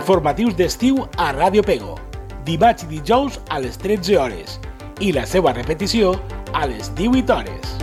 Informatius d'estiu a Ràdio Pego, dimarts i dijous a les 13 hores i la seva repetició a les 18 hores.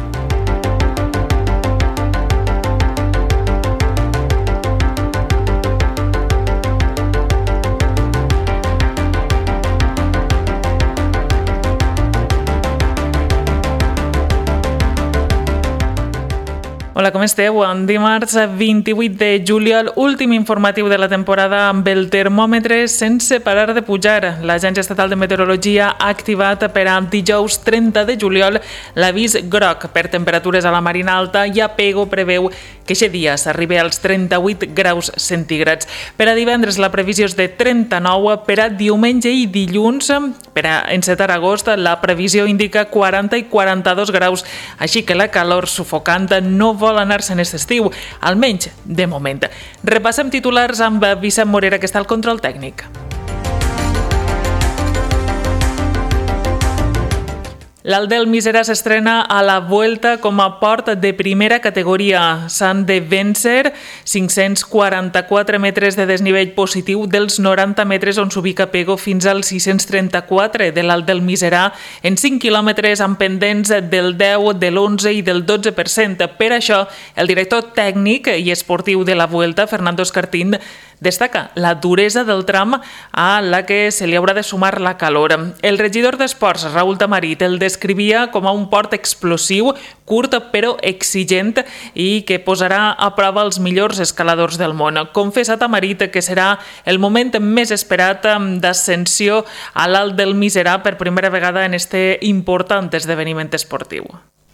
Hola, com esteu? Dimarts 28 de juliol, últim informatiu de la temporada amb el termòmetre sense parar de pujar. L'Agència Estatal de Meteorologia ha activat per a dijous 30 de juliol l'avís groc per temperatures a la Marina Alta i a Pego preveu que aquest dia s'arribi als 38 graus centígrads. Per a divendres la previsió és de 39, per a diumenge i dilluns, per a encetar agost, la previsió indica 40 i 42 graus, així que la calor sufocant no vol anar-se en aquest estiu, almenys de moment. Repassem titulars amb Vicent Morera, que està al control tècnic. L'Alt del Miserà s'estrena a la Vuelta com a port de primera categoria. S'han de vèncer 544 metres de desnivell positiu dels 90 metres on s'ubica Pego fins als 634 de l'Alt del Miserà en 5 quilòmetres amb pendents del 10, de l'11 i del 12%. Per això, el director tècnic i esportiu de la Vuelta, Fernando Escartín, destaca la duresa del tram a la que se li haurà de sumar la calor. El regidor d'Esports, Raúl Tamarit, el descrivia com a un port explosiu, curt però exigent i que posarà a prova els millors escaladors del món. Confessa Tamarit que serà el moment més esperat d'ascensió a l'Alt del Miserà per primera vegada en este important esdeveniment esportiu.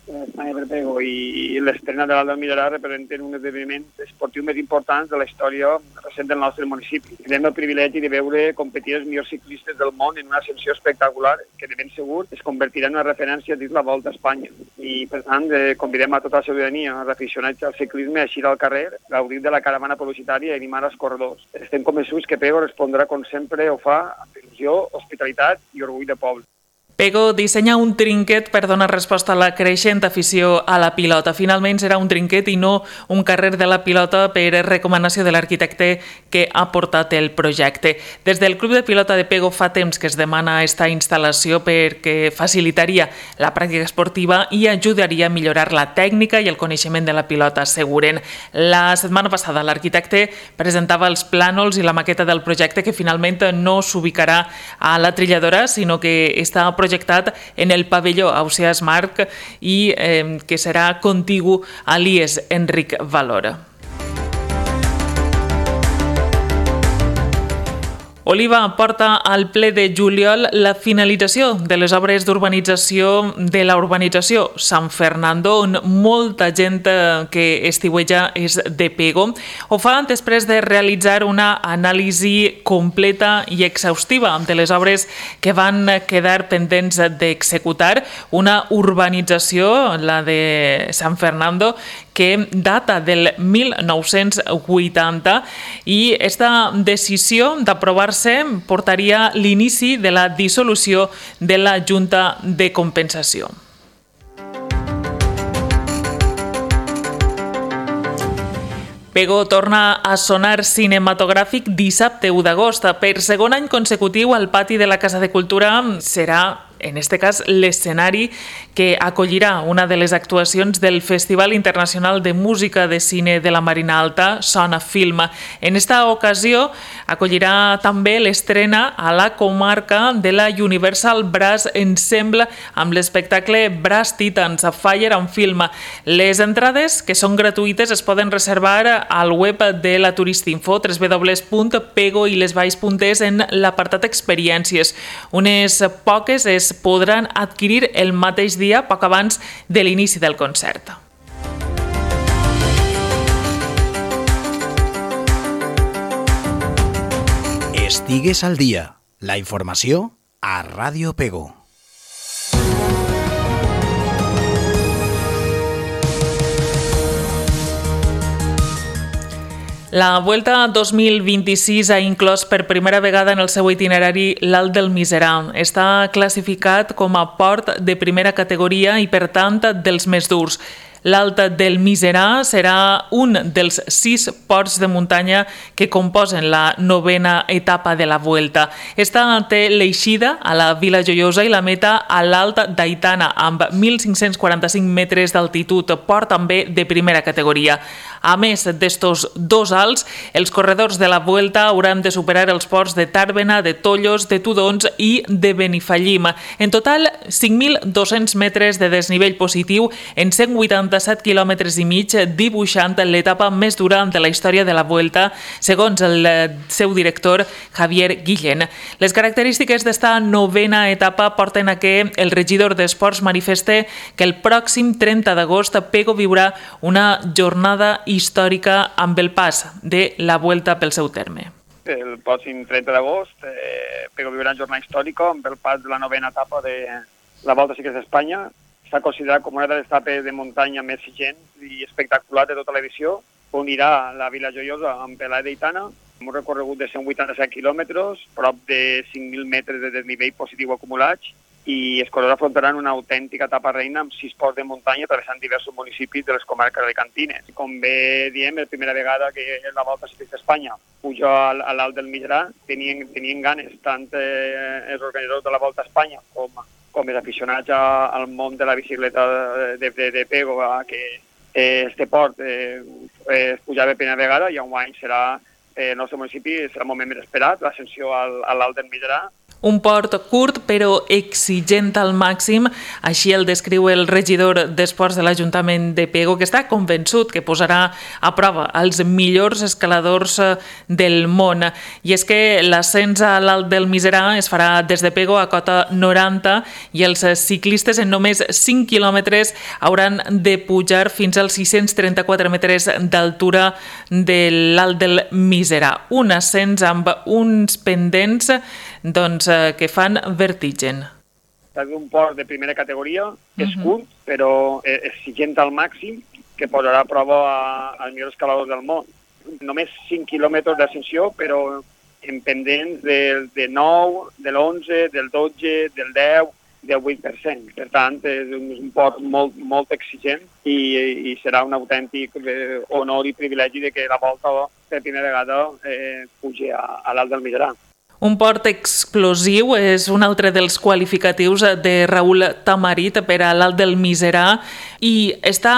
Espanya per Pego i l'estrena de l'Alt del Miserà representen un esdeveniment esportiu més important de la història recent del nostre municipi. Tenim el privilegi de veure competir els millors ciclistes del món en una ascensió espectacular que de ben segur es convertirà en una referència dins la Volta a Espanya. I per tant convidem a tota la ciutadania, els aficionats al ciclisme, a eixir al carrer, gaudir de la caravana publicitària i animar els corredors. Estem convençuts que Pego respondrà com sempre ho fa amb il·lusió, hospitalitat i orgull de poble. Pego dissenya un trinquet per donar resposta a la creixent afició a la pilota. Finalment serà un trinquet i no un carrer de la pilota per recomanació de l'arquitecte que ha portat el projecte. Des del Club de Pilota de Pego fa temps que es demana esta instal·lació perquè facilitaria la pràctica esportiva i ajudaria a millorar la tècnica i el coneixement de la pilota, asseguren. La setmana passada l'arquitecte presentava els plànols i la maqueta del projecte que finalment no s'ubicarà a la trilladora, sinó que està projectat en el pavelló Ausiàs Marc i que serà contigu a l'IES Enric Valora. Oliva porta al ple de juliol la finalització de les obres d'urbanització de la urbanització Sant Fernando, on molta gent que estiueja és de Pego. Ho fa després de realitzar una anàlisi completa i exhaustiva de les obres que van quedar pendents d'executar. Una urbanització, la de Sant Fernando, que data del 1980 i esta decisió d'aprovar-se portaria l'inici de la dissolució de la Junta de Compensació. Pego torna a sonar cinematogràfic dissabte 1 d'agost. Per segon any consecutiu, el pati de la Casa de Cultura serà, en este cas, l'escenari que acollirà una de les actuacions del Festival Internacional de Música de Cine de la Marina Alta, Sona Film. En esta ocasió acollirà també l'estrena a la comarca de la Universal Brass Ensemble amb l'espectacle Brass Titans, a Fire and Film. Les entrades, que són gratuïtes, es poden reservar al web de la Turistinfo, www.pegoilesvalls.es, en l'apartat Experiències. Unes poques es podran adquirir el mateix dia, poc abans de l'inici del concert. Estigues al dia. La informació a Ràdio Pego. La Vuelta 2026 ha inclòs per primera vegada en el seu itinerari l'Alt del Miserà. Està classificat com a port de primera categoria i, per tant, dels més durs. L'Alt del Miserà serà un dels 6 ports de muntanya que composen la 9a etapa de la Vuelta. Esta té l'eixida a la Vila Joiosa i la meta a l'Alt d'Aitana, amb 1.545 metres d'altitud, port també de primera categoria. A més d'estos 2 alts, els corredors de la Vuelta hauran de superar els ports de Tàrbena, de Tollos, de Tudons i de Benifallim. En total, 5.200 metres de desnivell positiu en 187 quilòmetres i mig, dibuixant l'etapa més dura de la història de la Vuelta, segons el seu director, Javier Guillén. Les característiques d'esta 9a etapa porten a que el regidor d'Esports manifeste que el pròxim 30 d'agost Pego viurà una jornada històrica amb el pas de la Vuelta pel seu terme. El pròxim 30 d'agost Pego viurà una jornada històrica amb el pas de la 9a etapa de la Volta Ciclista d'Espanya. Està considerat com una de les etapes de muntanya més exigents i espectaculars de tota l'edició. Unirà la Vila Joiosa amb Pelà d'Aitana, amb un recorregut de 187 quilòmetres, prop de 5.000 metres de desnivell positiu acumulats, i els corredors afrontaran una autèntica etapa reina amb 6 ports de muntanya travessant diversos municipis de les comarques alicantines. Com bé diem, la primera vegada que la Volta Ciclista d'Espanya puja a l'Alt del Migerà, tenien ganes tant els organitzadors de la Volta a Espanya com els aficionats al món de la bicicleta de Pego, que este port es pujava per primera vegada i enguany serà el nostre municipi, serà el moment més esperat, l'ascensió a l'Alt del Migerà. Un port curt però exigent al màxim, així el descriu el regidor d'Esports de l'Ajuntament de Pego, que està convençut que posarà a prova els millors escaladors del món. I és que l'ascens a l'Alt del Miserà es farà des de Pego a cota 90 i els ciclistes en només 5 quilòmetres hauran de pujar fins als 634 metres d'altura de l'Alt del Miserà. Un ascens amb uns pendents que fan vertigen. És un port de primera categoria, és curt, però exigent al màxim, que posarà a prova als millors escaladors del món. Només 5 quilòmetres d'ascensió, però en pendents del 9, de l'11, del 12, del 10, del 8%. Per tant, és un port molt exigent i serà un autèntic honor i privilegi de que la Volta per primera vegada pugi a l'Alt del Migerà. Un port explosiu és un altre dels qualificatius de Raül Tamarit per a l'Alt del Miserà i està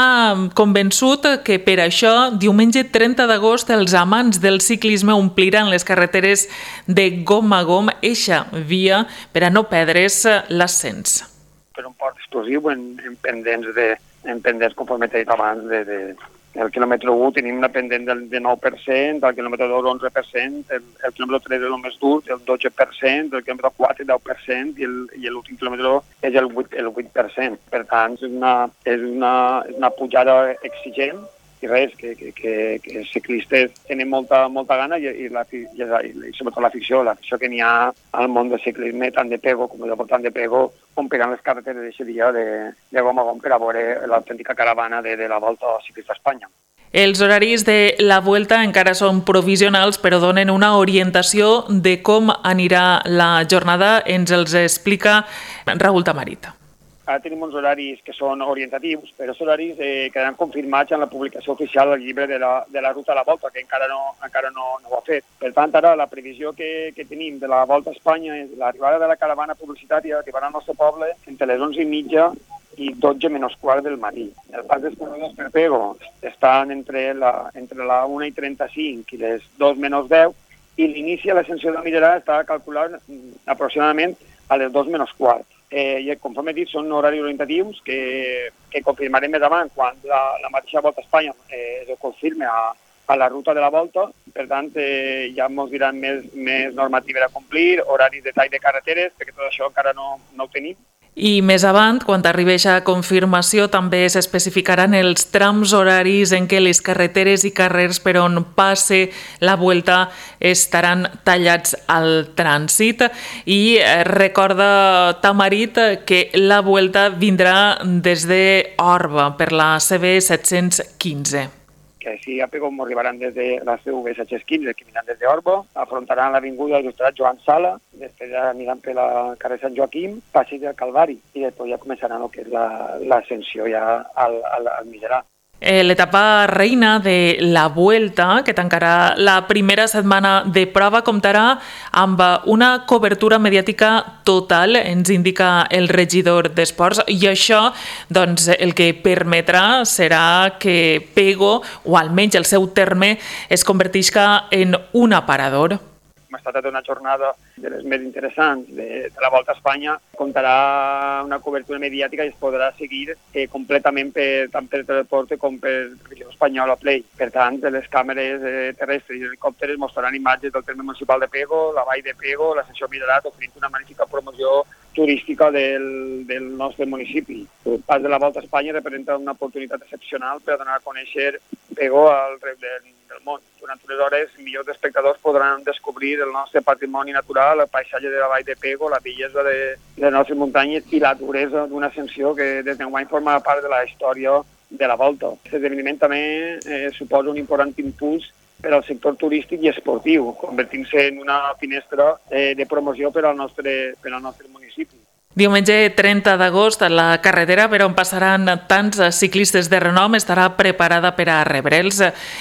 convençut que per això, diumenge 30 d'agost, els amants del ciclisme ompliran les carreteres de gom a gom eixa via per a no perdre's l'ascens. Per un port explosiu en pendents, conforme t'he dit abans, el quilòmetre 1 tenim una pendent del 9%, el quilòmetre 2 11%, el quilòmetre 3 és el més dur, el 12%, el quilòmetre 4 el 10% i l'últim quilòmetre és el 8%. Per tant, és una pujada exigent i res, que els ciclistes tenen molta gana i sobretot l'afició que n'hi ha al món del ciclisme, tant de Pego com de Voltant de Pego, ompliran les carreteres d'aquest dia de gom a gom per a veure l'autèntica caravana de la Volta Ciclista a Espanya. Els horaris de la Vuelta encara són provisionals, però donen una orientació de com anirà la jornada. Ens els explica Raül Tamarit. Ara tenim uns horaris que són orientatius, però els horaris quedaran confirmats en la publicació oficial del llibre de la ruta a la Volta, que encara no ho ha fet. Per tant, ara la previsió que tenim de la Volta a Espanya és l'arribada de la caravana publicitària, arribarà al nostre poble entre les 11:30 i 12 menys quart del matí. El pas dels corredors per Pego estan entre la 1:35 i les 2 menys 10 i l'inici a l'ascensió del Migerà està calculat aproximadament a les 2 menys quart. I conforme he dit, són horaris orientatius que confirmarem més avant quan la mateixa Volta a Espanya es confirme a la ruta de la Volta. Per tant, ja ens diran més normatives a complir, horaris de tall de carreteres, perquè tot això encara no ho tenim. I més avant, quan arribi a confirmació, també s'especificaran els trams horaris en què les carreteres i carrers per on passe la Vuelta estaran tallats al trànsit. I recorda Tamarit que la Vuelta vindrà des d'Orba per la CB 715. que així a Pego arribaran des de la CV 715, que aniran des d'Orbo, afrontaran l'Avinguda Il·lustrat Joan Sala, després aniran per la carrer Sant Joaquim, Passeig del Calvari, i després ja començaran el que és l'ascensió ja al Miserà. L'etapa reina de la Vuelta, que tancarà la primera setmana de prova, comptarà amb una cobertura mediàtica total, ens indica el regidor d'Esports, i això doncs, el que permetrà serà que Pego, o almenys el seu terme, es convertisca en un aparador. Hem estat una jornada de les més interessants de la Volta a Espanya. Comptarà una cobertura mediàtica i es podrà seguir completament tant per Teleporte com per Televisió Espanyola Play. Per tant, les càmeres terrestres i helicòpteres mostraran imatges del terme municipal de Pego, la vall de Pego, l'ascensió Miserat, oferint una magnífica promoció turística del nostre municipi. El pas de la Volta a Espanya representa una oportunitat excepcional per donar a conèixer Pego al rest del món. Durant unes hores, milions d'espectadors podran descobrir el nostre patrimoni natural, el paisatge de la vall de Pego, la bellesa de les nostres muntanyes i la duresa d'una ascensió que des d'enguany forma part de la història de la Volta. Aquest esdeveniment també suposa un important impuls per al sector turístic i esportiu, convertint-se en una finestra de promoció per al nostre municipi. Diumenge 30 d'agost, la carretera per on passaran tants ciclistes de renom estarà preparada per a rebre'ls.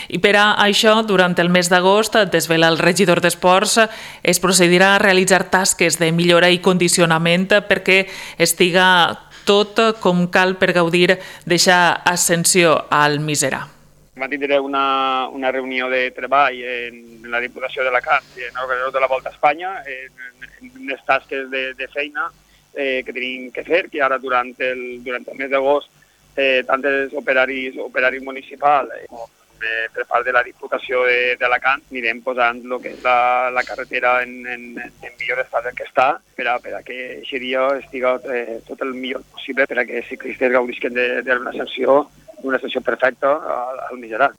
I per a això, durant el mes d'agost, desvela el regidor d'Esports, es procedirà a realitzar tasques de millora i condicionament perquè estiga tot com cal per gaudir d'aquesta ascensió al Miserà. Tindré una reunió de treball en la Diputació d'Alacant i en l'organitzador de la Volta a Espanya, en unes tasques de feina que tenim que fer, que ara durant el mes d'agost tant els operaris municipals com per part de la Diputació d'Alacant anirem posant el que és la carretera en millor estat del que està per a que aquest dia estiga tot el millor possible per a que els ciclistes gaudisquen d'una ascensió perfecta al Miserà.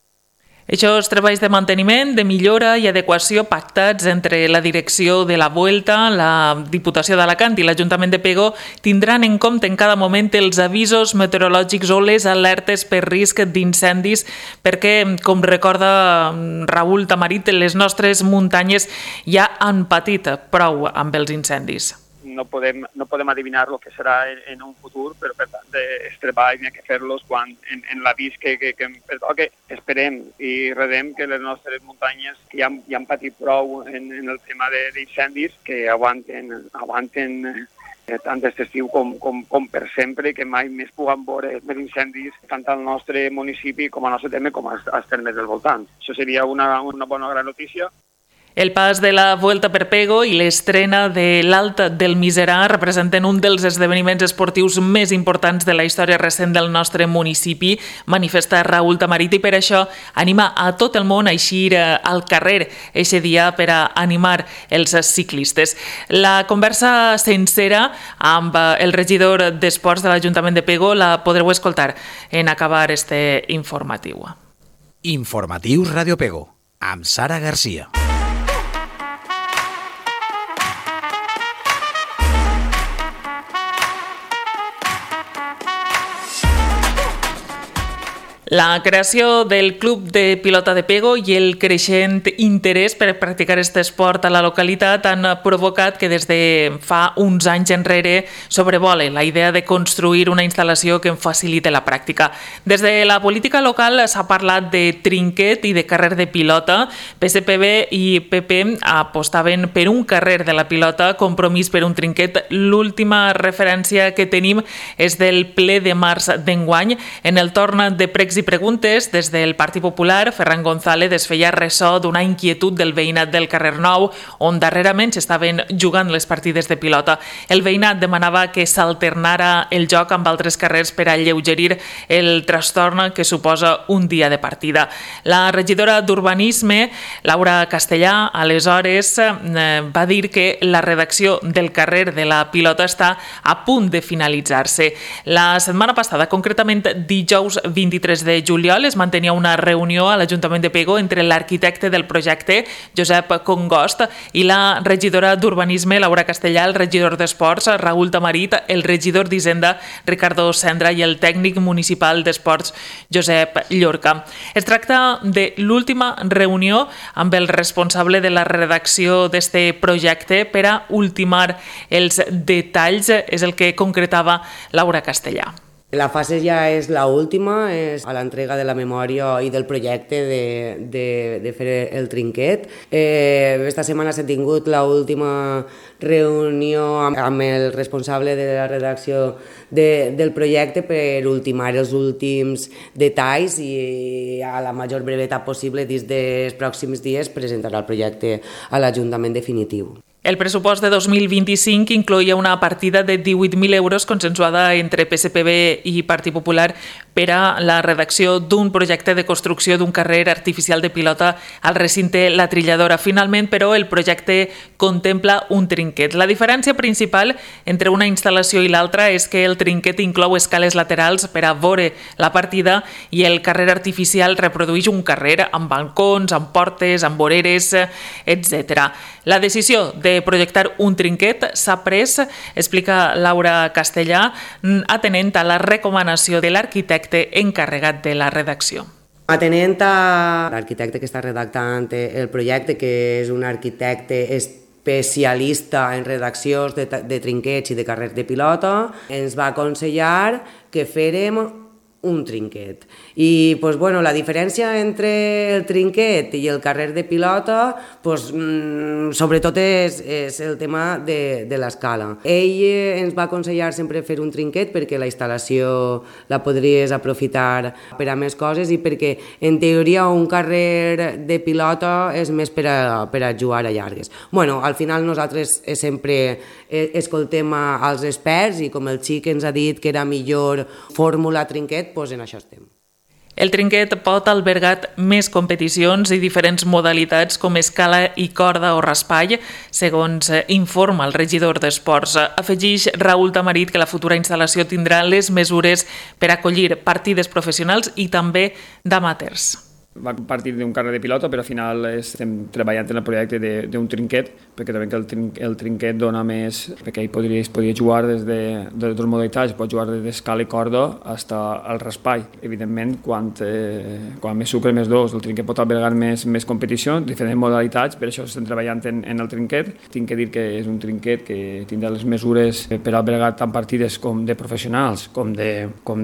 Aquests treballs de manteniment, de millora i adequació pactats entre la direcció de la Vuelta, la Diputació d'Alacant i l'Ajuntament de Pego tindran en compte en cada moment els avisos meteorològics o les alertes per risc d'incendis perquè, com recorda Raül Tamarit, les nostres muntanyes ja han patit prou amb els incendis. No podem adivinar el que serà en un futur, però per tant els treballs n'hi ha que fer-los quan en l'avís que pertoca. Esperem i redem que les nostres muntanyes que ja han patit prou en el tema d'incendis que aguanten tant aquest estiu com per sempre, que mai més puguem veure més incendis tant al nostre municipi com al nostre terme com als termes del voltant. Això seria una bona gran notícia. El pas de la Vuelta per Pego i l'estrena de l'Alta del Miserà representen un dels esdeveniments esportius més importants de la història recent del nostre municipi, manifesta Raül Tamarit, i per això anima a tot el món a eixir al carrer eixe dia per a animar els ciclistes. La conversa sencera amb el regidor d'Esports de l'Ajuntament de Pego la podreu escoltar en acabar este informatiu. Informatius Radio Pego, amb Sara Garcia. La creació del Club de Pilota de Pego i el creixent interès per practicar aquest esport a la localitat han provocat que des de fa uns anys enrere sobrevole la idea de construir una instal·lació que en facilite la pràctica. Des de la política local s'ha parlat de trinquet i de carrer de pilota. PSPB i PP apostaven per un carrer de la pilota, Compromís per un trinquet. L'última referència que tenim és del ple de març d'enguany. En el torn de pregs i preguntes, des del Partit Popular, Ferran González es feia ressò d'una inquietud del veïnat del carrer Nou, on darrerament s'estaven jugant les partides de pilota. El veïnat demanava que s'alternara el joc amb altres carrers per alleugerir el trastorn que suposa un dia de partida. La regidora d'Urbanisme, Laura Castellà, aleshores va dir que la redacció del carrer de la pilota està a punt de finalitzar-se. La setmana passada, concretament dijous 23 de juliol es mantenia una reunió a l'Ajuntament de Pego entre l'arquitecte del projecte, Josep Congost, i la regidora d'Urbanisme, Laura Castellà, el regidor d'Esports, Raül Tamarit, el regidor d'Hisenda, Ricardo Cendra, i el tècnic municipal d'Esports, Josep Llorca. Es tracta de l'última reunió amb el responsable de la redacció d'este projecte per a ultimar els detalls, és el que concretava Laura Castellà. La fase ja és l'última, és a l'entrega de la memòria i del projecte de fer el trinquet. Esta setmana s'ha tingut l'última reunió amb el responsable de la redacció del projecte per ultimar els últims detalls i a la major brevetat possible dins dels pròxims dies presentarà el projecte a l'Ajuntament definitiu. El pressupost de 2025 incloïa una partida de 18.000 euros consensuada entre PSPB i Partit Popular per a la redacció d'un projecte de construcció d'un carrer artificial de pilota al recinte La Trilladora. Finalment, però, el projecte contempla un trinquet. La diferència principal entre una instal·lació i l'altra és que el trinquet inclou escales laterals per a veure la partida i el carrer artificial reprodueix un carrer amb balcons, amb portes, amb voreres, etc. La decisió de projectar un trinquet s'ha pres, explica Laura Castellà, atenent a la recomanació de l'arquitecte encarregat de la redacció. Atenent a l'arquitecte que està redactant el projecte, que és un arquitecte especialista en redaccions de trinquets i de carrers de pilota, ens va aconsellar que férem un trinquet. I la diferència entre el trinquet i el carrer de pilota sobretot és el tema de l'escala. Ell ens va aconsellar sempre fer un trinquet perquè la instal·lació la podries aprofitar per a més coses i perquè en teoria un carrer de pilota és més per a jugar a llargues. Al final nosaltres sempre escoltem als experts i com el xic ens ha dit que era millor fórmula trinquet, en això estem. El trinquet pot albergar més competicions i diferents modalitats com escala i corda o raspall, segons informa el regidor d'Esports. Afegeix Raül Tamarit que la futura instal·lació tindrà les mesures per acollir partides professionals i també d'amateurs. Va partir d'un carrer de pilota, però al final estem treballant en el projecte d'un trinquet, perquè també que el trinquet dona més, perquè ell podria jugar des de dues modalitats, pot jugar des d'escala i corda fins al raspall. Evidentment, quan més sucre, més dos, el trinquet pot albergar més competició, diferents modalitats, per això estem treballant en el trinquet. Tinc que dir que és un trinquet que tindrà les mesures per albergar tant partides com de professionals com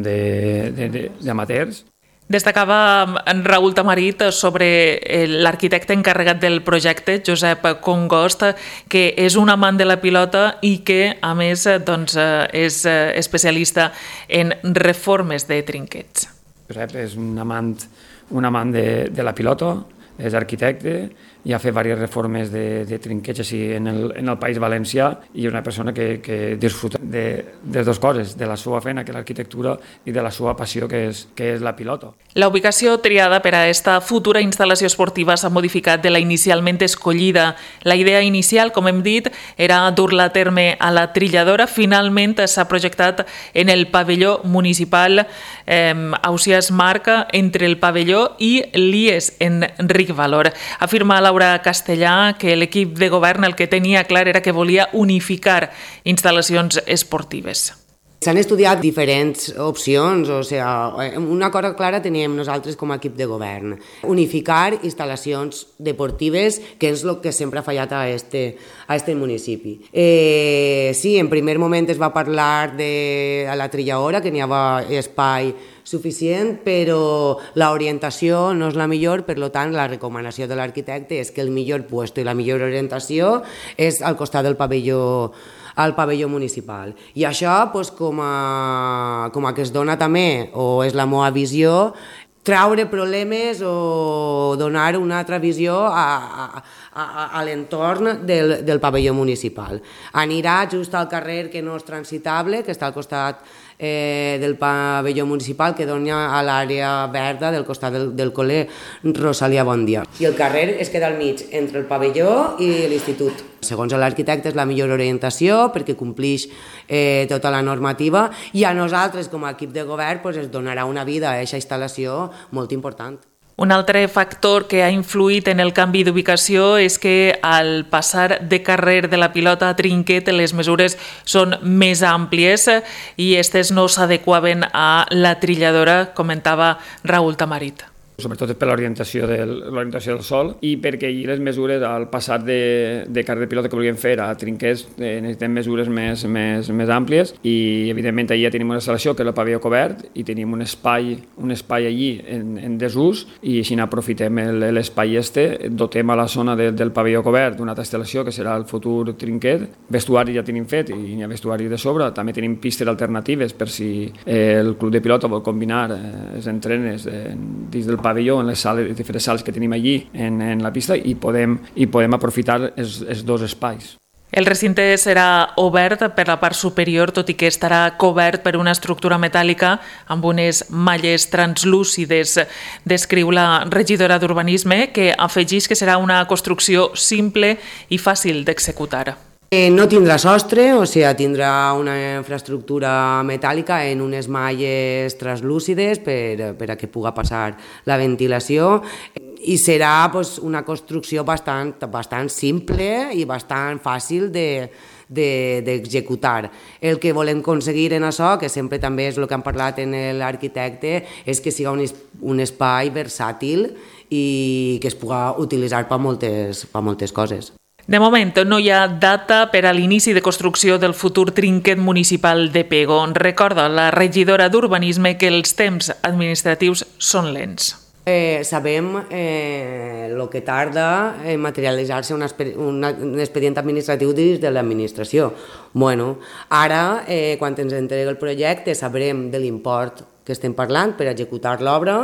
d'amateurs. Destacava Raül Tamarit sobre l'arquitecte encarregat del projecte, Josep Congost, que és un amant de la pilota i que, a més, és especialista en reformes de trinquets. Josep és un amant de la pilota, és arquitecte i ha fet diverses reformes de trinquets així en el País Valencià i és una persona que disfruta de dues coses, de la seva feina, que és l'arquitectura, i de la seva passió, que és la pilota. La ubicació triada per a esta futura instal·lació esportiva s'ha modificat de la inicialment escollida. La idea inicial, com hem dit, era dur-la a terme a la Trilladora. Finalment s'ha projectat en el pavelló municipal Ausiàs Marca, entre el pavelló i l'IES en Ricvalor. Afirma Laura Castellà que l'equip de govern el que tenia clar era que volia unificar instal·lacions esportives. S'han estudiat diferents opcions, una cosa clara teníem nosaltres com a equip de govern. Unificar instal·lacions deportives, que és el que sempre ha fallat a este municipi. Sí, en primer moment es va parlar de la Trilladora, que n'hi havia espai suficient, però l'orientació no és la millor, per tant, la recomanació de l'arquitecte és que el millor lloc i la millor orientació és al costat del pavelló municipal. I això, com a que es dona també, o és la meva visió, traure problemes o donar una altra visió a l'entorn del pavelló municipal. Anirà just al carrer que no és transitable, que està al costat del pavelló municipal que dona a l'àrea verda del costat del col·le Rosalia Bondia. I el carrer es queda al mig entre el pavelló i l'institut. Segons l'arquitecte és la millor orientació perquè complix tota la normativa i a nosaltres com a equip de govern es donarà una vida a aquesta instal·lació molt important. Un altre factor que ha influït en el canvi d'ubicació és que al passar de carrer de la Pilota a Trinquet les mesures són més àmplies i aquestes no s'adequaven a la trilladora, comentava Raül Tamarit. Sobretot per l'orientació del sol i perquè allí les mesures al passar de carrer de pilota que volíem fer a Trinquets necessitem mesures més àmplies i evidentment allà tenim una instal·lació que és el pavelló cobert i tenim un espai allí en desús i així aprofitem l'espai dotem a la zona del pavelló cobert d'una altra instal·lació que serà el futur Trinquet. Vestuari ja tenim fet i hi ha vestuari de sobre, també tenim pistes alternatives per si el club de pilota vol combinar els entrenes dins del pavelló, en les diferents sales que tenim allí en la pista i podem aprofitar els dos espais. El recinte serà obert per la part superior, tot i que estarà cobert per una estructura metàl·lica amb unes malles translúcides. Descriu la regidora d'Urbanisme, que afegeix que serà una construcció simple i fàcil d'executar. No tindrà sostre, o sigui, tindrà una infraestructura metàl·lica en unes malles translúcides per a que pugui passar la ventilació i serà una construcció bastant simple i bastant fàcil d'executar. El que volem aconseguir en això, que sempre també és el que han parlat en l'arquitecte, és que sigui un espai versàtil i que es pugui utilitzar per moltes coses. De moment no hi ha data per a l'inici de construcció del futur Trinquet municipal de Pego. Recorda la regidora d'Urbanisme que els temps administratius són lents. Sabem el que tarda en materialitzar-se un expedient administratiu dins de l'administració. Ara, quan ens entrega el projecte, sabrem de l'import que estem parlant per executar l'obra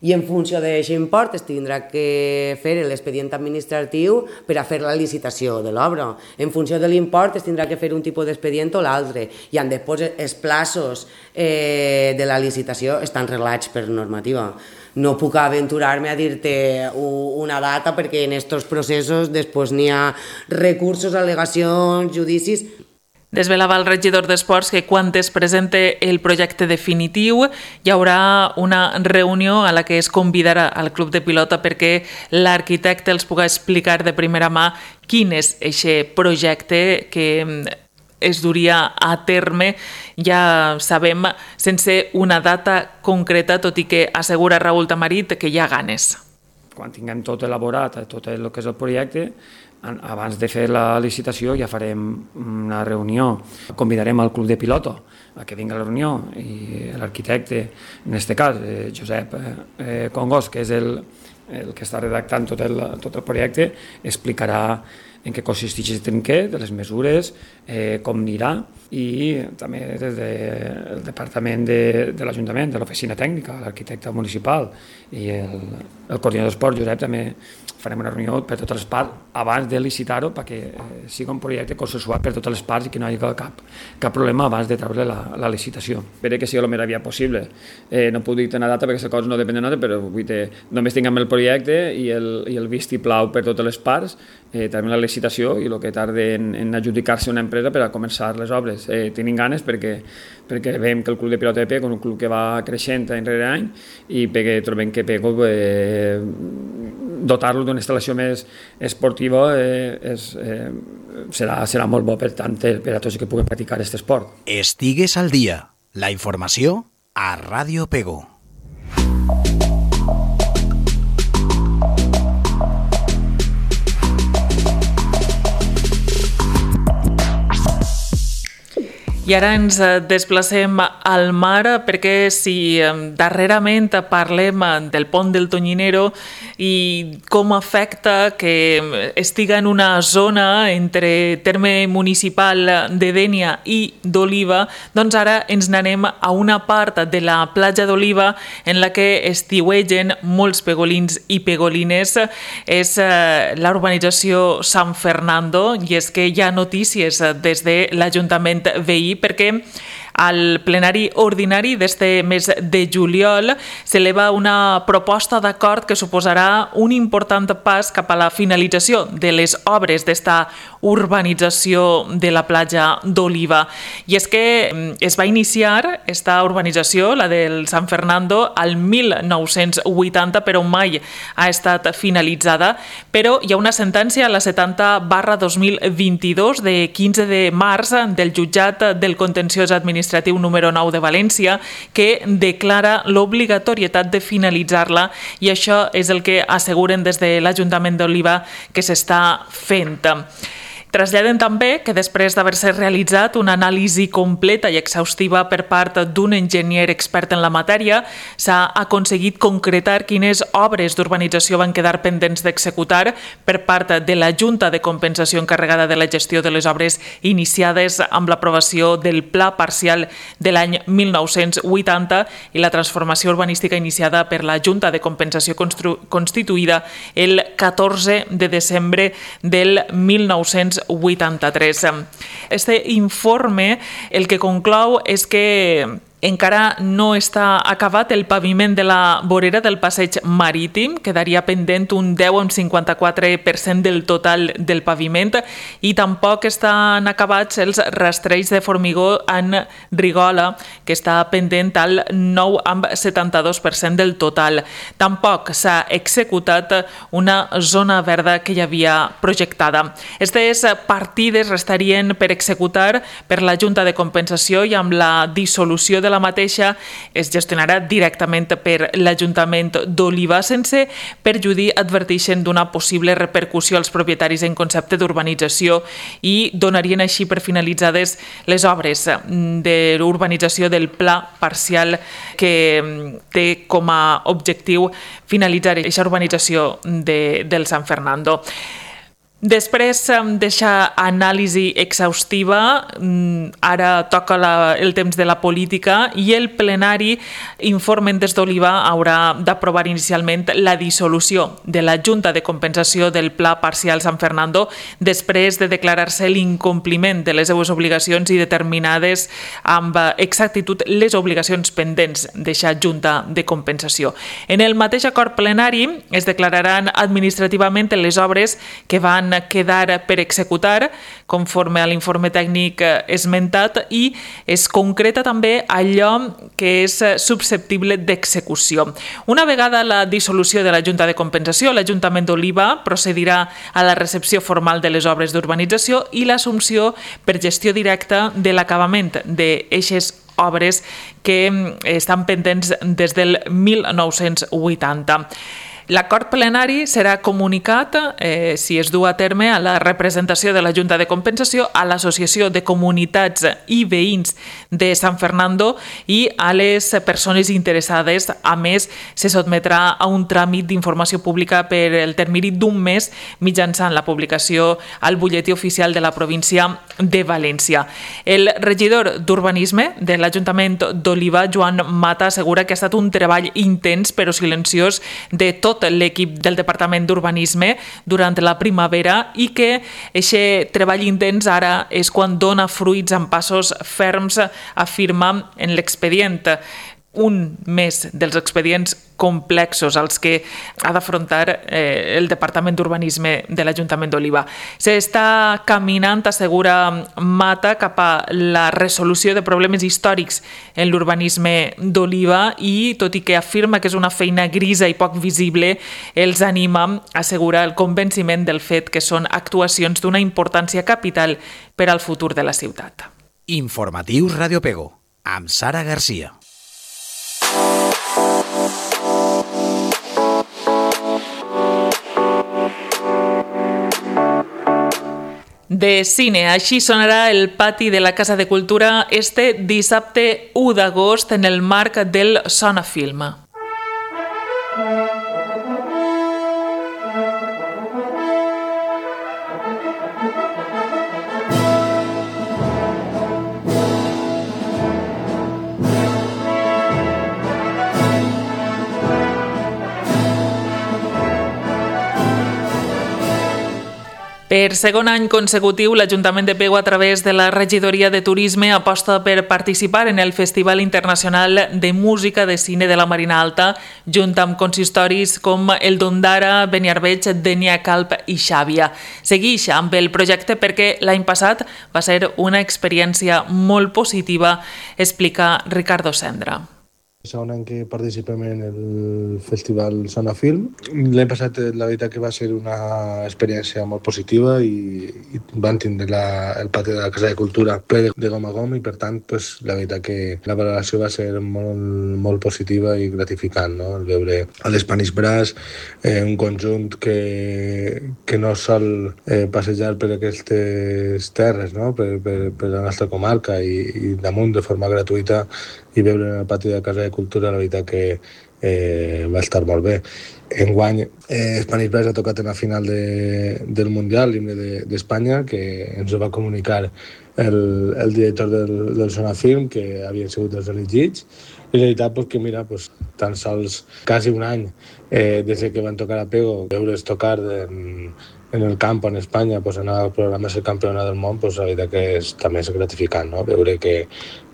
i en funció d'aquest import es tindrà que fer l'expedient administratiu per a fer la licitació de l'obra. En funció de l'import es tindrà que fer un tipus d'expedient o l'altre i després els plaços de la licitació estan reglats per normativa. No puc aventurar-me a dir-te una data perquè en aquests processos després n'hi ha recursos, al·legacions, judicis. Desvelava el regidor d'Esports que quan es presente el projecte definitiu hi haurà una reunió a la que es convidarà al club de pilota perquè l'arquitecte els pugui explicar de primera mà quin és aquest projecte que es duria a terme, ja sabem, sense una data concreta, tot i que assegura Raül Tamarit que hi ha ganes. Quan tinguem tot elaborat, tot el que és el projecte, abans de fer la licitació ja farem una reunió. Convidarem al club de pilota a que vingui a la reunió i l'arquitecte, en aquest cas, Josep Congos, que és el que està redactant tot el projecte, explicarà en què consisteix el Trinquet, de les mesures, com anirà i també des del departament de l'Ajuntament, de l'oficina tècnica, l'arquitecte municipal i el coordinador d'esport, Josep, també farem una reunió per totes les parts abans de licitar-ho perquè sigui un projecte consensuat per totes les parts i que no hi hagi cap problema abans de treure la licitació. Espero que sigui el més aviat possible. No puc dir una data perquè les coses no depèn de nosaltres, però només tinguem el projecte i el vistiplau per totes les parts, tenim la licitació i el que tarda en adjudicar-se una empresa per a començar les obres. Tenim ganes perquè veiem que el club de pilota de Pego és un club que va creixent any rere any i perquè trobem que Pego dotar-lo d'una instal·lació més esportiva serà molt bo per a tots que puguin practicar aquest esport. Estigues al dia. La informació a Ràdio Pego. I ara ens desplacem al mar perquè si darrerament parlem del pont del Tonyinero i com afecta que estiga en una zona entre terme municipal de Dénia i d'Oliva, doncs ara ens n'anem a una part de la platja d'Oliva en la que estiuegen molts pegolins i pegolines. És la urbanització San Fernando i és que hi ha notícies des de l'Ajuntament veí perquè Al plenari ordinari d'este mes de juliol s'eleva una proposta d'acord que suposarà un important pas cap a la finalització de les obres d'esta urbanització de la platja d'Oliva. I és que es va iniciar esta urbanització, la del San Fernando, al 1980, però mai ha estat finalitzada. Però hi ha una sentència, la 70/2022, de 15 de març del jutjat del contenciós administratiu número 9 de València, que declara l'obligatorietat de finalitzar-la, i això és el que asseguren des de l'Ajuntament d'Oliva que s'està fent. Traslladen també que després d'haver-se realitzat una anàlisi completa i exhaustiva per part d'un enginyer expert en la matèria, s'ha aconseguit concretar quines obres d'urbanització van quedar pendents d'executar per part de la Junta de Compensació encarregada de la gestió de les obres iniciades amb l'aprovació del Pla Parcial de l'any 1980 i la transformació urbanística iniciada per la Junta de Compensació constituïda el 14 de desembre del 1983. Este informe el que conclou és que encara no està acabat el paviment de la vorera del passeig marítim, quedaria pendent un 10,54% del total del paviment, i tampoc estan acabats els rastrells de formigó en Rigola, que està pendent al 9,72% del total. Tampoc s'ha executat una zona verda que hi havia projectada. Aquestes partides restarien per executar per la Junta de Compensació i amb la dissolució de la mateixa es gestionarà directament per l'Ajuntament d'Oliva, sense perjudir, adverteixen, d'una possible repercussió als propietaris en concepte d'urbanització, i donarien així per finalitzades les obres de l'urbanització del Pla Parcial, que té com a objectiu finalitzar aquesta urbanització del San Fernando. Després d'aquesta anàlisi exhaustiva, ara toca el temps de la política, i el plenari, informen des d'Oliva, haurà d'aprovar inicialment la dissolució de la Junta de Compensació del Pla Parcial San Fernando, després de declarar-se l'incompliment de les seues obligacions i determinades amb exactitud les obligacions pendents d'aquesta Junta de Compensació. En el mateix acord plenari es declararan administrativament les obres que van quedar per executar, conforme a l'informe tècnic esmentat, i es concreta també allò que és susceptible d'execució. Una vegada la dissolució de la Junta de Compensació, l'Ajuntament d'Oliva procedirà a la recepció formal de les obres d'urbanització i l'assumpció per gestió directa de l'acabament d'eixes obres que estan pendents des del 1980. L'acord plenari serà comunicat, si es du a terme, a la representació de la Junta de Compensació, a l'Associació de Comunitats i Veïns de San Fernando i a les persones interessades. A més, se sotmetrà a un tràmit d'informació pública per el termini d'un mes mitjançant la publicació al butlletí oficial de la província de València. El regidor d'Urbanisme de l'Ajuntament d'Oliva, Joan Mata, assegura que ha estat un treball intens però silenciós de tot l'equip del Departament d'Urbanisme durant la primavera, i que aquest treball intens ara és quan dona fruits amb passos ferms, afirma en l'expedient. Un més dels expedients complexos als que ha d'afrontar el Departament d'Urbanisme de l'Ajuntament d'Oliva. S'està caminant, assegura Mata, cap a la resolució de problemes històrics en l'urbanisme d'Oliva, i tot i que afirma que és una feina grisa i poc visible, els anima a assegurar el convenciment del fet que són actuacions d'una importància capital per al futur de la ciutat. Informatius Radio Pego, amb Sara Garcia. De cine, així sonarà el pati de la Casa de Cultura este dissabte 1 d'agost en el marc del Sonafilm. Per segon any consecutiu, l'Ajuntament de Pego, a través de la Regidoria de Turisme, aposta per participar en el Festival Internacional de Música de Cine de la Marina Alta, junt amb consistoris com el d'Ondara, Beniarbeig, Denia Calp i Xàbia. Seguix amb el projecte perquè l'any passat va ser una experiència molt positiva, explica Ricardo Sendra. Segon any que participem en el Festival Sona Film. L'any passat la veritat que va ser una experiència molt positiva i van tindre el pati de la Casa de Cultura ple de gom a gom i per tant la veritat que la valoració va ser molt positiva i gratificant, no? El veure a l'Spanish Brass, un conjunt que no sol passejar per aquestes terres, no? per la nostra comarca i damunt de forma gratuïta i veure en el pati de la Casa de Cultura, la veritat que va estar molt bé. Enguany, Spanish Brass ha tocat en la final del Mundial, l'himne d'Espanya, que ens ho va comunicar el director del Sona Film, que havien sigut els elegits. I la veritat que, mira, tan sols quasi un any des que van tocar a Pego, veure's tocar en el camp en Espanya, anar al programa Ser Campiona del Món, la veritat que també és gratificant, no? Veure que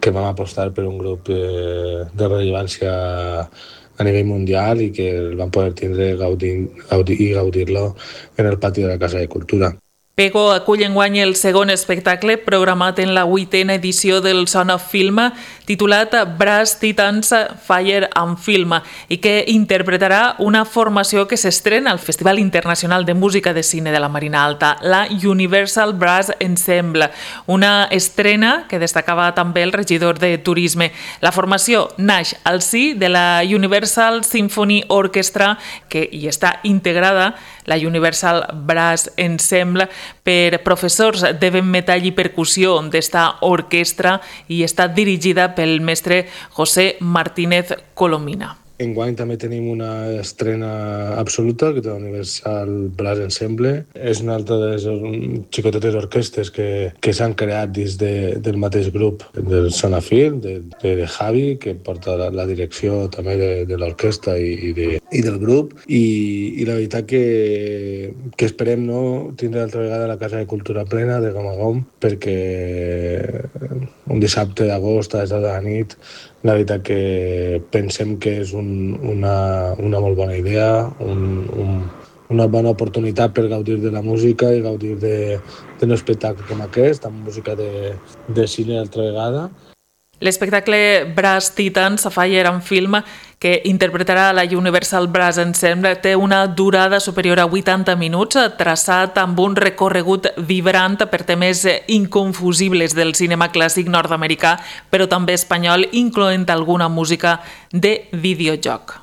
vam apostar per un grup de rellevància a nivell mundial i que el van poder tindre i gaudir-lo en el pati de la Casa de Cultura. Pego acull enguany el segon espectacle programat en la 8a edició del Sona Film, titulat Brass Titans Fire and Film, i que interpretarà una formació que s'estrena al Festival Internacional de Música de Cine de la Marina Alta, la Universal Brass Ensemble, una estrena que destacava també el regidor de Turisme. La formació naix al si de la Universal Symphony Orchestra, que hi està integrada, la Universal Brass Ensemble, per professors de vent metall i percussió d'esta orquestra i està dirigida pel mestre José Martínez Colomina. Enguany també tenim una estrena absoluta, que és la Universal Brass Ensemble. És una altra de les xicotetes orquestes que s'han creat dins del mateix grup del Sona Film, de Javi, que porta la direcció també de l'orquestra i del grup. I la veritat que esperem tindre altra vegada la Casa de Cultura plena de gom a gom, perquè un dissabte d'agost a les 10 de la nit la veritat que pensem que és una molt bona idea, una bona oportunitat per gaudir de la música i gaudir d'un espectacle com aquest, amb música de cine altra vegada. L'espectacle Brass Titans Fire and Film, que interpretarà la Universal Brass Ensemble, té una durada superior a 80 minuts, traçat amb un recorregut vibrant per temes inconfusibles del cinema clàssic nord-americà, però també espanyol, incloent alguna música de videojoc.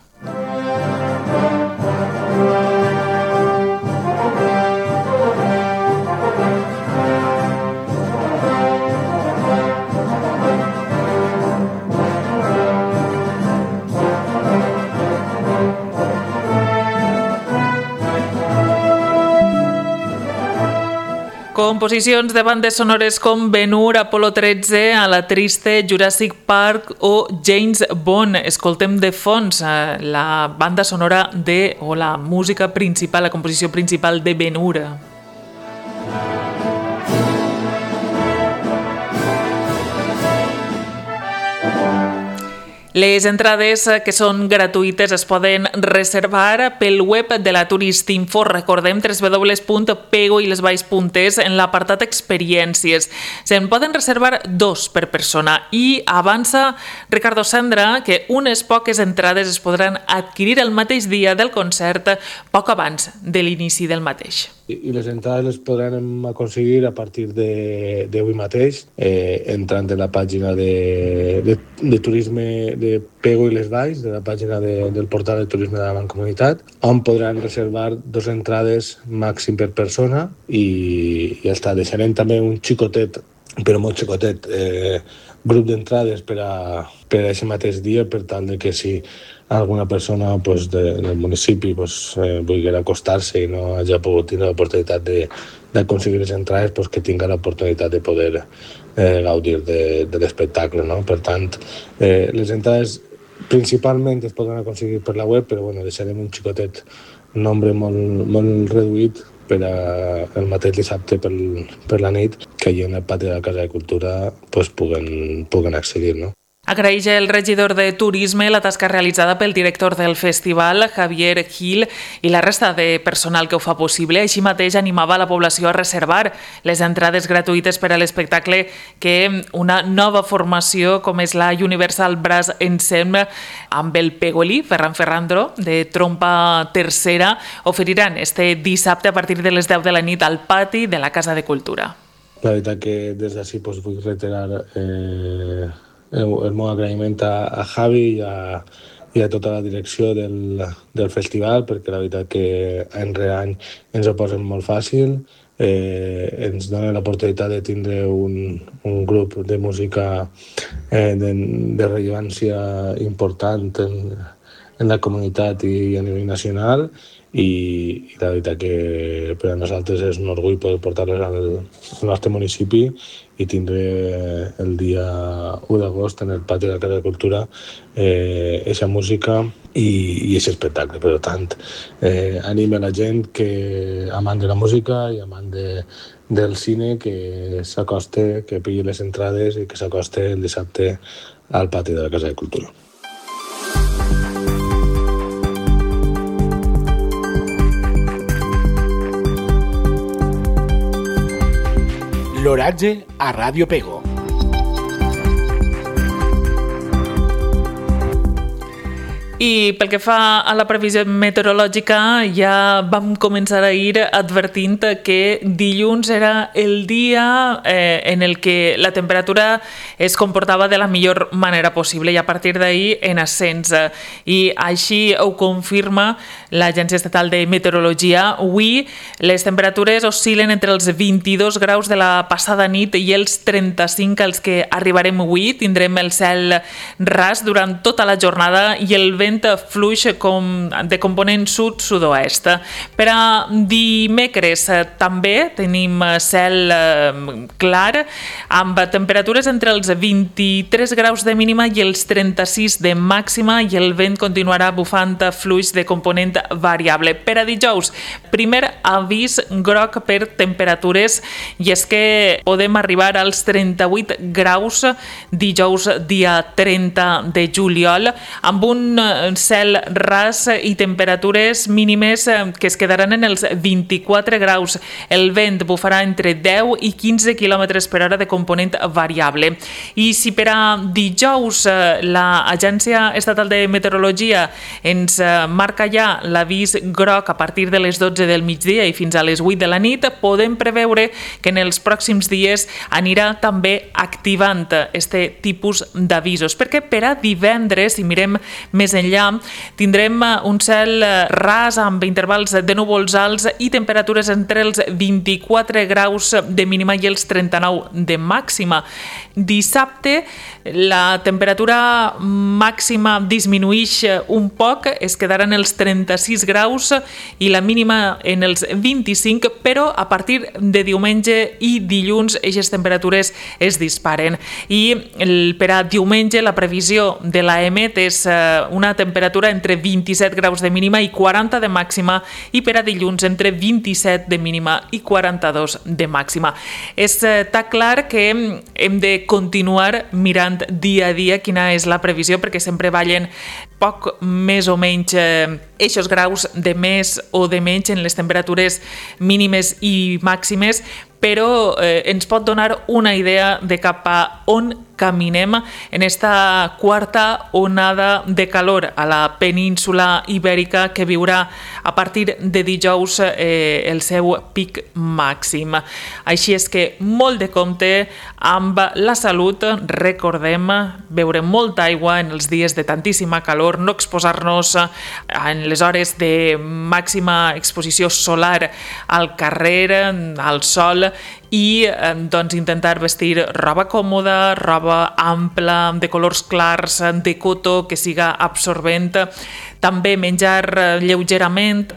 Composicions de bandes sonores com Ben-Hur, Apolo 13, A la Triste, Jurassic Park o James Bond. Escoltem de fons la banda sonora o la música principal, la composició principal de Ben-Hur. Les entrades, que són gratuïtes, es poden reservar pel web de la Turistinfo. Recordem www.pegoilesvalls.es en l'apartat Experiències. Se'n poden reservar 2 per persona i avança Ricardo Sendra que unes poques entrades es podran adquirir el mateix dia del concert, poc abans de l'inici del mateix. I les entrades les podrem aconseguir a partir d'avui mateix, entrant en la pàgina de turisme de Pego i les Valls, de la pàgina del portal de turisme de la Mancomunitat, on podran reservar 2 entrades màxim per persona i ja està. Deixarem també un xicotet, però molt xicotet, grup d'entrades per a aquest mateix dia, per tal que si alguna persona del municipi volguera acostar-se i no hagi pogut tindre l'oportunitat d'aconseguir les entrades, que tinga l'oportunitat de poder gaudir de l'espectacle, no? Per tant, les entrades principalment es poden aconseguir per la web, però deixarem un xicotet, un nombre molt reduït per el mateix dissabte per la nit, que allà en el pati de la Casa de Cultura puguen accedir, no? Agraeix el regidor de Turisme la tasca realitzada pel director del festival, Javier Gil, i la resta de personal que ho fa possible. Així mateix animava la població a reservar les entrades gratuïtes per a l'espectacle que una nova formació com és la Universal Brass Ensemble amb el Pegolí, Ferran Ferrandro, de trompa tercera, oferiran este dissabte a partir de les 10 de la nit al pati de la Casa de Cultura. La veritat que des d'ací vull reiterar el meu agraïment a Javi i a tota la direcció del festival, perquè la veritat que any rere any ens ho posen molt fàcil, ens donen l'oportunitat de tindre un grup de música de rellevància important en la comunitat i a nivell nacional, i la veritat que per a nosaltres és un orgull poder portar-les al nostre municipi i tindre el dia 1 d'agost en el pati de la Casa de Cultura eixa música i aquest espectacle. Per tant, anima la gent que amant de la música i amant del cine que s'acoste, que pilli les entrades i que s'acoste el dissabte al pati de la Casa de Cultura. L'oratge a Ràdio Pego. I pel que fa a la previsió meteorològica, ja vam començar ahir advertint que dilluns era el dia en el que la temperatura es comportava de la millor manera possible i a partir d'ahir en ascens. I així ho confirma l'Agència Estatal de Meteorologia. Avui les temperatures oscil·len entre els 22 graus de la passada nit i els 35 als que arribarem avui. Tindrem el cel ras durant tota la jornada i el vent fluix de component sud-sud-oest. Per a dimecres també tenim cel clar amb temperatures entre els 23 graus de mínima i els 36 de màxima i el vent continuarà bufant fluix de component variable. Per a dijous, primer avís groc per temperatures i és que podem arribar als 38 graus dijous dia 30 de juliol amb un cel ras i temperatures mínimes que es quedaran en els 24 graus. El vent bufarà entre 10 i 15 km per hora de component variable. I si per a dijous l'Agència Estatal de Meteorologia ens marca ja l'avís groc a partir de les 12 del migdia i fins a les 8 de la nit, podem preveure que en els pròxims dies anirà també activant este tipus d'avisos, perquè per a divendres, si mirem més enllà, tindrem un cel ras amb intervals de núvols alts i temperatures entre els 24 graus de mínima i els 39 de màxima. Dissabte la temperatura màxima disminueix un poc, es quedaran els 36 graus i la mínima en els 25, però a partir de diumenge i dilluns aquestes temperatures es disparen. I per a diumenge la previsió de l'AEMET és una temperatura entre 27 graus de mínima i 40 de màxima i per a dilluns entre 27 de mínima i 42 de màxima. Està clar que hem de continuar mirant dia a dia quina és la previsió perquè sempre ballen poc més o menys eixos graus de més o de menys en les temperatures mínimes i màximes, però ens pot donar una idea de cap a on caminem en esta quarta onada de calor a la península ibèrica que viurà a partir de dijous el seu pic màxim. Així és que molt de compte amb la salut, recordem beure molta aigua en els dies de tantíssima calor, no exposar-nos en les hores de màxima exposició solar al carrer, al sol, i doncs intentar vestir roba còmoda, roba ampla, de colors clars, de cotó, que siga absorbent. També menjar lleugerament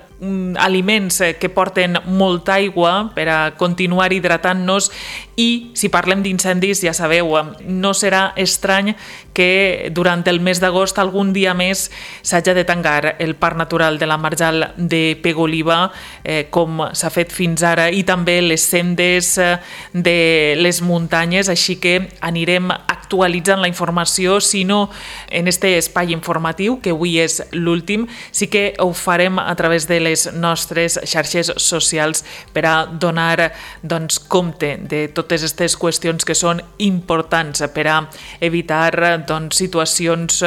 aliments que porten molta aigua per a continuar hidratant-nos I si parlem d'incendis, ja sabeu, no serà estrany que durant el mes d'agost algun dia més s'hagi de tancar el Parc Natural de la Marjal de Pego-Oliva, com s'ha fet fins ara, i també les sendes de les muntanyes, així que anirem actualitzant la informació, si no en este espai informatiu, que avui és l'últim, sí que ho farem a través de les nostres xarxes socials per a donar compte de totes aquestes qüestions que són importants per a evitar situacions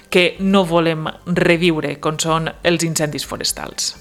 que no volem reviure, com són els incendis forestals.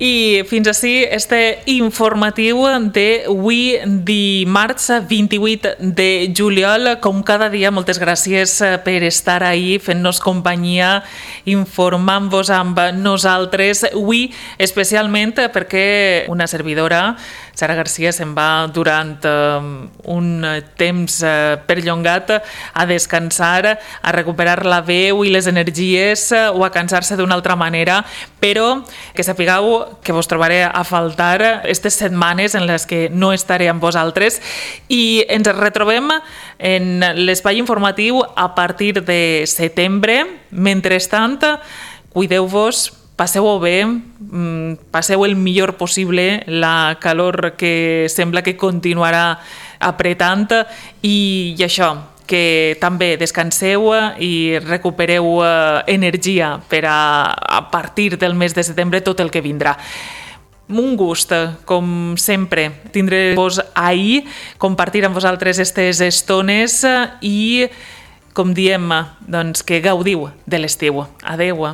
I fins així este informatiu d'avui dimarts 28 de juliol. Com cada dia, moltes gràcies per estar ahí fent-nos companyia, informant-vos amb nosaltres. Avui especialment perquè una servidora, Sara Garcia, se'n va durant un temps perllongat a descansar, a recuperar la veu i les energies o a cansar-se d'una altra manera, però que sapigueu que vos trobaré a faltar aquestes setmanes en les que no estaré amb vosaltres, i ens retrobem en l'espai informatiu a partir de setembre. Mentrestant, cuideu-vos, passeu-ho bé, passeu el millor possible la calor que sembla que continuarà apretant, i això, que també descanseu i recupereu energia per a partir del mes de setembre tot el que vindrà. Un gust, com sempre, tindre-vos ahir, compartir amb vosaltres aquestes estones i, com diem, que gaudiu de l'estiu. Adeu.